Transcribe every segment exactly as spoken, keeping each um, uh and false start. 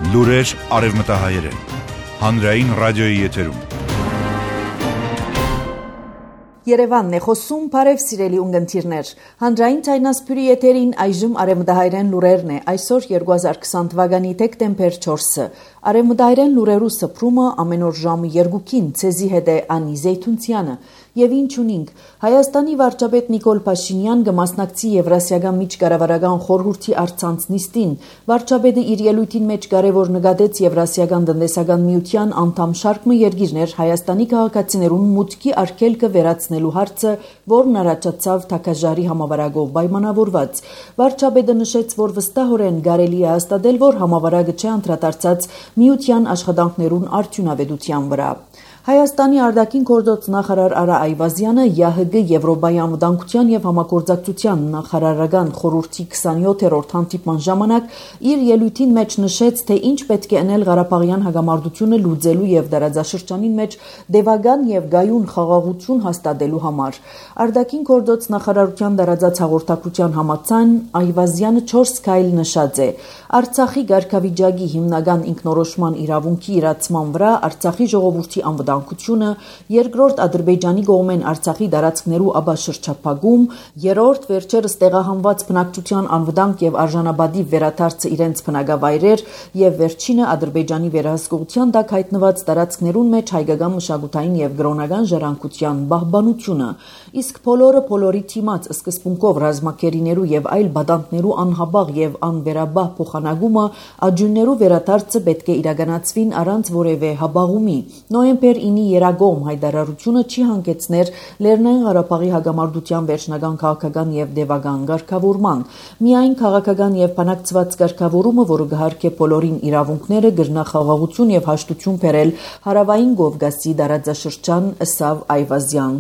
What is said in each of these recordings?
Լուրեր արևմտահայերեն, հանրային ռադիոյի եթերում։ Երևանն է խոսում, բարև սիրելի ունգընտիրներ։ Հանրային ցայնասպյուրի եթերին այժմ արևմտահայերեն լուրերն է, այսօր երկու հազար քսան թվականի դեկտեմբեր չորսը։ Արևմտահայերեն լուրերու սփռումը ամեն օր ժամը երկուքին ցեզի հետ է Անի Զեյթունցյանը։ Եվ ինչ ունինք, Հայաստանի վարչապետ Նիկոլ Փաշինյան կմասնակցի Եվրասիական միջկառավարական խորհրդի առցանց նիստին։ Վարչապետը իր ելույթին մեջ կարևոր նկատեց Եվրասիական տնտեսական միության անդամ շարքը երկիրներ Հայաստանի քաղաքացիներուն մուտքի արգելքը վերացնելու հարցը, որն առաջացավ Թակաժարի համավարակով պայմանավորված։ Վարչապետը նշեց, որ վստահորեն կարելի է հաստատել, որ համավարակը չէ անդրադարձած միության աշխատանքներուն արդյունավետության վրա։ Հայաստանի արտաքին գործոց նախարար Արա Այվազյանը ԵԱՀԿ Եվրոպայի անվտանգության եւ համագործակցության նախարարական խորհրդի քսանյոթերորդ հանդիպման ժամանակ իր ելույթին մեջ նշեց, թե ինչ պետք է անել Ղարաբաղյան հակամարտությունը լուծելու եւ դարաձաշրջանին մեջ դեպական եւ գայուն խաղաղություն հաստատելու համար։ Արտաքին գործոց նախարարության դարաձած հաղորդակցության համաձայն Այվազյանը չորս քայլ նշած է։ Արցախի ղարքավիճակի հիմնական ինքնորոշման իրավունքի իրացման վրա Արցախի ժողովրդի անվտանգությունը, երկրորդ Ադրբեջանի կողմեն Արցախի տարածքներու աբաշրջափակում, երրորդ վերջերս տեղահանված բնակչության անվտանգ եւ արժանապատիվ վերադարձը իրենց բնակավայրեր եւ վերջինը Ադրբեջանի վերահսկողության տակ հայտնված տարածքներուն մեջ հայկական մշակութային եւ գրոնական ժառանգության պահպանությունը, իսկ բոլորը բոլորի թիմած սկզբունքով ռազմակերիներու եւ այլ բադանտներու անհաբաղ եւ անվերաբահ փոխանակումը աջուններու վերադարձը պետք է իրականացվին առանց որևէ հաբաղումի։ Նոյեմբեր ինի երագողմ հայտարարությունը չի հանգեցներ Լեռնային Ղարաբաղի հակամարտության վերջնական քաղաքական եւ դեպական ղեկավարման։ Միայն քաղաքական եւ բանակցված ղեկավարումը, որը գահարքե բոլորին իրավունքները, գրնախաղաղություն եւ հաշտություն բերել հարավային Կովկասի տարածաշրջան, ըսավ Այվազյան։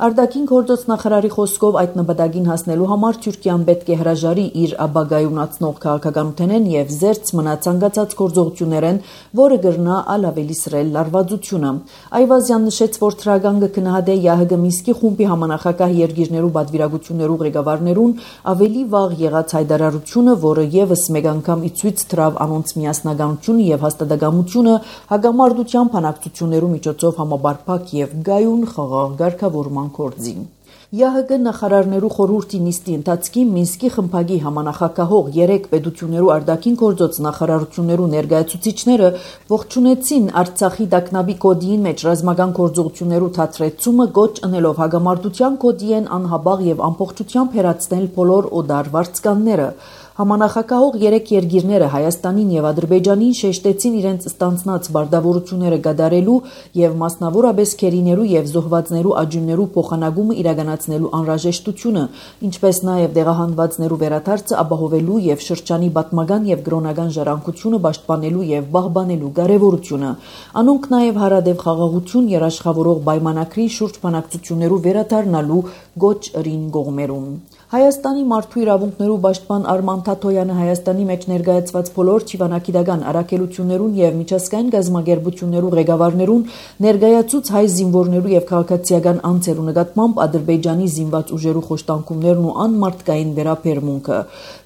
Արտաքին գործոց նախարարի խոսքով այդ նպատակին հասնելու համար Թուրքիան պետք է հրաժարի իր ապագայունացնող քաղաքականութենեն եւ զերծ մնա ցանկացած գործողություններեն, որը կրնա ալավելի սրել լարվածությունը։ Այվազյան նշեց, որ թրագան կգնահատե ԵԱՀԿ Մինսկի խումբի համանախագահ երկիրներու պատվիրակություններու ղեկավարներուն ավելի վաղ եղած հայտարարությունը, որը եւս մեկ անգամ ի ցույց դրավ անոնց միասնականությունը եւ հաստատակամությունը հակամարտության բանակցություններու միջոցով համապարփակ եւ գայուն խաղաղ ղեկավարման գործին։ ԵԱՀԿ նախարարներու խորհրդի նիստի ընթացքին Մինսկի խմբակի համանախագահող երեք պետություններու արտաքին գործոց նախարարություններու ներկայացուցիչները ողջունեցին Արցախի տագնապի կոդիին մեջ ռազմական գործողություններու թատրեցումը, գոչ ընելով հակամարտության կոդիեն անհաբաղ եւ ամբողջությամբ հերացնել բոլոր օդար վարձկանները։ Համանախագահող երեք երկիրները Հայաստանին եւ Ադրբեջանին շեշտեցին իրենց ստանձնած բարդավորությունները կատարելու եւ մասնավորապես քերիներու եւ զոհվածներու աջուններու փոխանակումը իրականացնելու անհրաժեշտությունը, ինչպես նաեւ դեղահանվածներու վերադարձը ապահովելու եւ շրջանի պատմական եւ գրոնական ժառանգությունը պաշտպանելու եւ պահպանելու կարեւորությունը։ Անոնք նաեւ հարադեպ խաղաղություն երաշխավորող պայմանագրի շուրջ բանակցություններու վերադառնալու գոչ ըրին կողմերուն։ Հայաստանի մարդու իրավունքներու պաշտպան Արման Թաթոյանը Հայաստանի մեջ ներկայացված բոլոր ճիվանագիտական առաքելություններուն եւ միջազգային գազམ་ագերբություններու ղեկավարներուն ներկայացուց հայ զինվորներու եւ քաղաքացիական անձերու նկատմամբ Ադրբեջանի զինված ուժերու խոշտանգումներն ու անմարտկային վերաբերմունքը։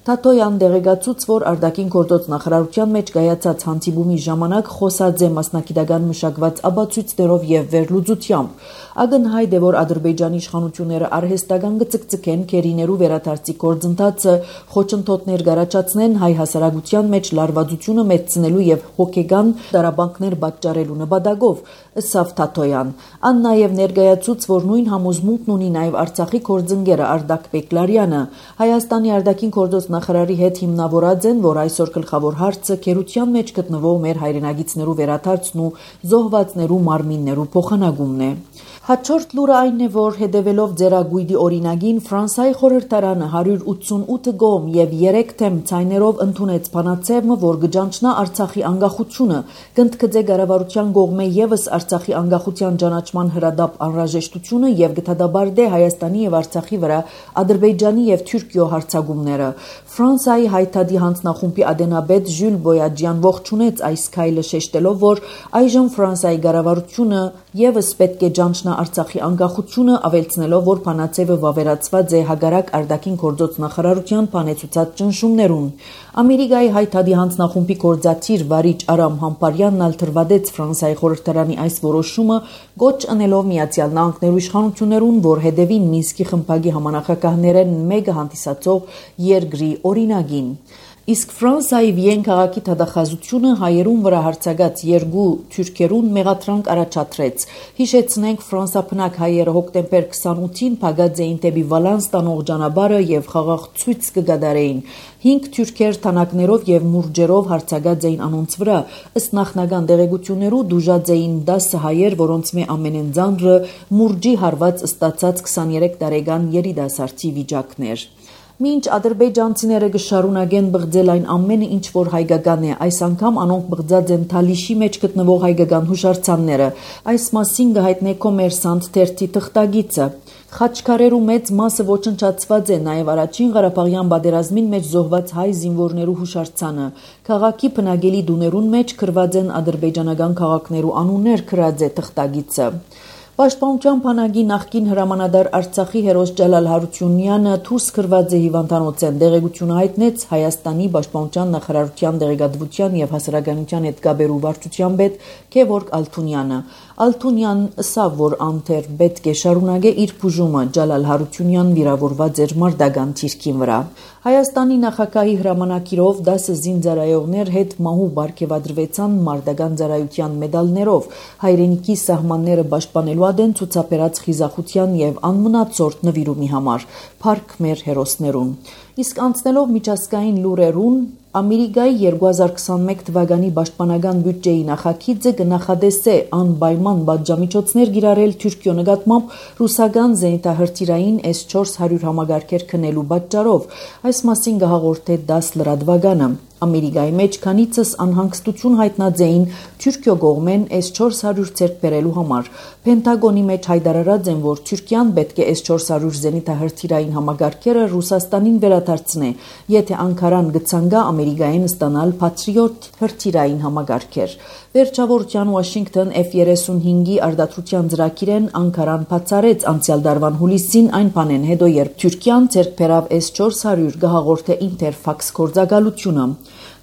Թաթոյան դեղեկացուց, որ արտաքին գործոց նախարարության մեջ կայացած հանդիպումի ժամանակ խոսած է մասնագիտական մշակված ապացույցներով եւ վերլուծությամբ։ Ակնհայտ է, որ Ադրբեջանի իշխանությունները արհեստական կծկծկեն քերիներու վերադարձի գործընթացը, խոչընդոտներ կառաջացնեն հայ հասարակության մեջ լարվածությունը մեծցնելու եւ հոգեգան դարաբանքներ պատճառելու նպատակով, ըսավ Թաթոյան։ Ան նաեւ ներկայացուց, որ նույն համոզմունքն ունի նաեւ Արցախի գործընկերը Արդակ Բեկլարյանը։ Հայաստանի արտաքին գործոց նախարարի հետ հիմնավորած են, որ այսօր գլխավոր հարցը քերության մեջ գտնվող մեր հայրենագիցներու վերադարձն ու զոհվածներու մարմիններու փոխանակումն է։ Հաջորդ լուրը այն է, որ հետևելով ձեռագույտի օրինագին Ֆրանսիայի խորհրդարանը հարյուր ութսունութ գոմ եւ երեք թեմ ցայներով ընդունեց բանաձևը, որ գճանչնա Արցախի անկախությունը, կընդգծե կառավարության կողմէ եւս Արցախի անկախության ճանաչման հրադապ անհրաժեշտությունը եւ գտադաբարդե Հայաստանի եւ Արցախի վրա Ադրբեջանի եւ Թուրքիո հարձակումները։ Ֆրանսիայի հայտարարի հանձնախումբի ադենաբեդ Ժյուլ Բոյաջյան ողջունեց այս քայլը, շեշտելով, որ այժմ Ֆրանսիայի կառավարությունը Եվս պետք է ճանչնա Արցախի անկախությունը, ավելցնելով, որ Փանացևը վավերացված է հագարակ արտաքին գործոց նախարարության փանեցուցած ճնշումներուն։ Ամերիկայի հայտարարի հանձնախումբի գործադիր Վարիչ Արամ Համպարյանն ալ թրվադեց Ֆրանսիայի խորհրդարանի այս որոշումը, գոչ անելով Միացյալ Նահանգներու իշխանություններուն, որ հետևին Մինսկի խմբակի համանախագահներեն մեկը հանդիսացող երկրի օրինագին։ Իսկ Ֆրանսիայի Վիեն քաղաքի թադախազությունը հայերուն վրա հարձակած երկու թուրքերուն մեղադրանք առաջադրեց։ Հիշեցնենք, ֆրանսափնակ հայերը հոկտեմբեր քսանութին փակած էին դեպի Վալանս տանող ճանապարհը եւ խաղաղ ցույց կգադարեին։ Հինգ թուրքեր թանակներով եւ մուրճերով հարձակած էին անոնց վրա։ Ըստ նախնական տեղեկություններու դուժած էին դասը հայեր, որոնց մե ամենեն ծանրը մուրճի հարված ստացած քսաներեք տարեկան երիտասարդի վիճակներ։ Մինչ ադրբեջանցիները կշարունակեն բղձել այն ամենը, ինչ որ հայկական է, այս անգամ անոնք բղձած են Թալիշի մեջ գտնվող հայկական հուշարձանները։ Այս մասին կհայտնե Կոմերսանտ թերթի թղթագիծը։ Խաչքարերու մեծ մասը ոչնչացված է, նաև առաջին Ղարաբաղյան պատերազմին մեջ զոհված հայ զինվորներու հուշարձանը։ Քաղաքի բնակելի դուներուն մեջ գրված են ադրբեջանական քաղաքներու անուններ, գրած է թղթագիծը։ Պաշտպանության բանակի նախկին հրամանատար Արցախի հերոս Ջալալ Հարությունյանը դուրս գրված է հիվանդանոցեն դեղեցությունը հայտնեց Հայաստանի պաշտպանության նախարարության դեղեկատվության եւ հասարակայնության հետ կապերու վարչության պետ Գևորգ Ալթունյանը։ Ալթունյանն ըսավ, որ անթեր պետք է շարունակե իր բուժումը, Ջալալ Հարությունյան վիրավորված էր մարտական թիրքին վրա։ Հայաստանի նախագահի հրամանակիրով դասը զինծառայողներ հետ մահու բարգեւադրվեցան մարտական ծառայության մեդալներով, հայրենիքի սահմանները պաշտպանելու adեն ցուցաբերած խիզախության եւ անմնացորդ նվիրումի համար, փառք մեր հերոսներուն։ Իսկ անցնելով միջազգային լուրերուն, Ամերիկայի երկու հազար քսանմեկ թվականի պաշտպանական բյուջեի նախագիծը կնախադեսե անպայման պատժամիջոցներ կիրառել Թուրքիո նկատմամբ ռուսական զենիթահրթիռային էս չորս հարյուր համագարքեր քնելու պատճառով։ Այս մասին կհաղորդե դաս լրատվականը։ Ամերիկայի մեջ քանիցս անհանգստություն հայտնած էին Թուրքիո կողմեն էս չորս հարյուր ձեռք բերելու համար։ Պենտագոնի մեջ հայտարարած են, որ Թուրքիան պետք է էս չորս հարյուր զենիթահրթիռային համագարքերը Ռուսաստանին վերադարձնի, եթե Անկարան կցանկա Ամերիկային ստանալ Patriot հրթիռային համագարքեր։ Վերջավորության Washington F thirty-five-ի արտադրության ծրագիրեն Անկարան բացառեց անցյալ դարվան հուլիսին այն բանեն հետո, երբ Թուրքիան ձեռք բերավ էս չորս հարյուր գահաղորդե Interfax գործակալությունը։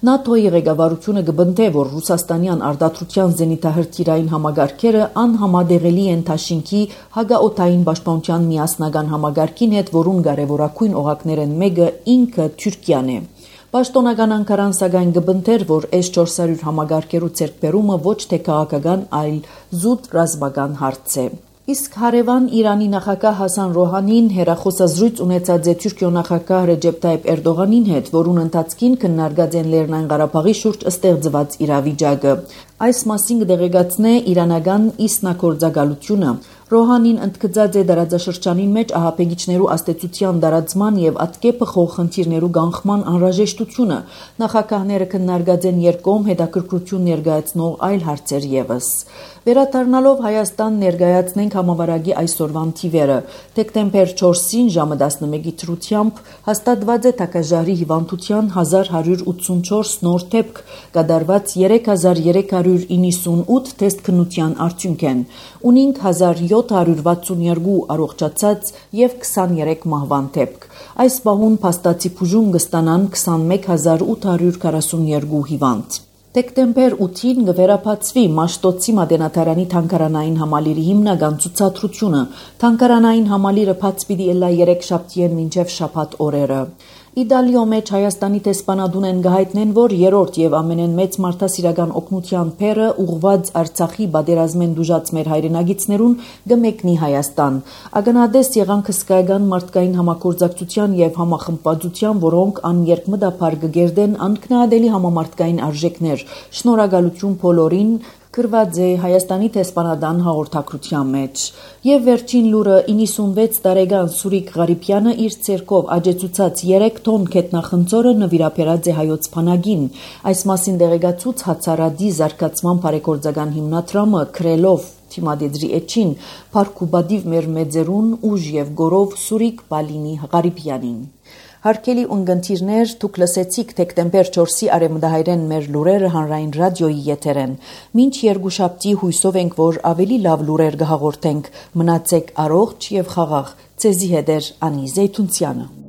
ՆԱՏՕ-ի ղեկավարությունը կբնթե, որ ռուսաստանյան արտադրության զենիթահրթիռային համագարքերը անհամադեղելի են Թաշինքի հագաօթային պաշտպանության միասնական համագարքին հետ, որուն կարևորագույն օղակներն մեկը ինքը Թուրքիան է։ Պաշտոնական Անկարան սակայն կբնթեր, որ էս չորս հարյուր համագարքերու ձեռքբերումը ոչ թե քաղաքական, այլ զուտ ռազմական հարց է։ Իսկ հարևան Իրանի նախագահ Հասան Ռոհանին հերախոսազրույց ունեցած է Թուրքիո նախագահ Ռեջեփ Թայիփ Էրդողանին հետ, որուն ընթացքին քննարկած են Լեռնային Ղարաբաղի շուրջ ստեղծված իրավիճակը։ Այս մասին կդեղեկացնե իրանական իսնագործակալությունը։ Ռոհանին ընդգծած է դարաձաշրջանին մեջ ահաբեկիչներու աստեցության դարացման եւ ատկեպը խորխնդիրներու կանխման անհրաժեշտությունը։ Նախագահները քննարկած են երկկողմ հետաքրքրություն ներկայացնող այլ հարցեր եւս։ Վերադառնալով Հայաստան ներկայացնենք համավարակի այսօրվան թիվերը։ Դեկտեմբեր չորսին ժամը տասնմեկի թրությամբ հաստատված է Թակաժարի հիվանդության հազար հարյուր ութսունչորս նոր դեպք, կատարված երեք հազար երեք հարյուր իննսունութ թեստ քննության արդյունքեն, ունինք հազար յոթ հարյուր վաթսունյոթ առողջացած եւ քսաներեք մահվան դեպք։ Այս բահուն փաստացի բուժում կստանան քսանմեկ հազար ութ հարյուր քառասունյոթ հիվանդ։ Դեկտեմբեր ութին կվերապացվի Մաշտոցի Մատենադարանի թանգարանային համալիրի հիմնական ցուցադրությունը։ Թանգարանային համալիրը բաց պիտի ելա երեքշաբթիեն մինչև շաբաթ օրերը։ Իտալիո մեջ Հայաստանի տեսփանադուն են գահիտնեն, որ երրորդ եւ ամենեն մեծ մարդասիրական օգնության փերը ուղված Արցախի պատերազմեն դուժած մեր հայրենագիցներուն գմեկնի Հայաստան։ Ագնադես եղանք հսկայական մարդկային համագործակցության եւ համախմբվածության, որոնք աներկմտաբար կգերդեն անքնահատելի համամարտկային արժեքներ։ Շնորհակալություն բոլորին, գրված է Հայաստանի տեսփանադան հաղորդակցության մեջ։ Եվ վերջին լուրը իննսունվեց տարեկան Սուրիկ Ղարիբյանը իր ցերկով աջեցուցած երեք տոն քետնախնձորը նվիրաբերած է հայոց բանակին։ Այս մասին դեղեկացուց Հացարադի զարգացման բարեգործական հիմնադրամը քրելով թիմադեդրի էջին Փարքուբադիվ մեր մեծերուն ուժ եւ գորով Սուրիկ Բալինի Ղարիբյանին։ Հարկելի ունգընտիրներ, դուք լսեցիք դեկտեմբեր չորսի արևմտահայերեն մեր լուրերը հանրային ռադիոյի եթերեն։ Մինչ երկուշաբթի հույսով ենք, որ ավելի լավ լուրեր կհաղորդենք։ Մնացեք առողջ եւ խաղաղ։ Ձեզի հետ է Անի Զեյթունցյանը։